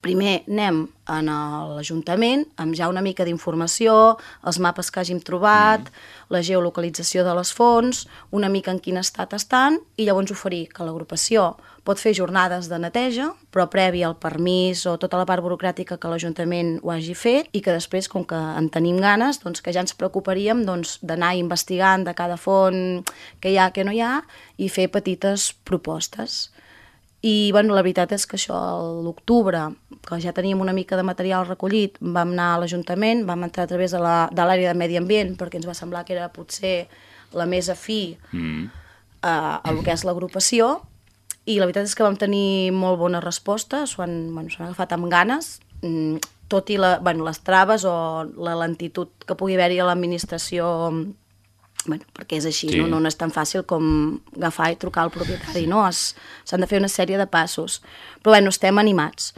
primer anem a l'Ajuntament amb ja una mica d'informació, els mapes que hàgim trobat, la geolocalització de les fonts, una mica en quin estat estan, i llavors oferir que l'agrupació pot fer jornades de neteja, però previ al permís o tota la part burocràtica que l'Ajuntament ho hagi fet, i que després, com que en tenim ganes, doncs que ja ens preocuparíem d'anar investigant de cada font què hi ha, què no hi ha, i fer petites propostes. I bueno, la veritat és que això, a l'octubre, que ja teníem una mica de material recollit, vam anar a l'Ajuntament, vam entrar a través de l'àrea de Medi Ambient, perquè ens va semblar que era potser la més afí a el que és l'agrupació, i la veritat és que vam tenir molt bona resposta, s'han agafat amb ganes, tot i les traves o la lentitud que pugui haver-hi a l'administració, perquè és així, no és tan fàcil com agafar i trucar al propietari, no? S'han de fer una sèrie de passos. Però estem animats.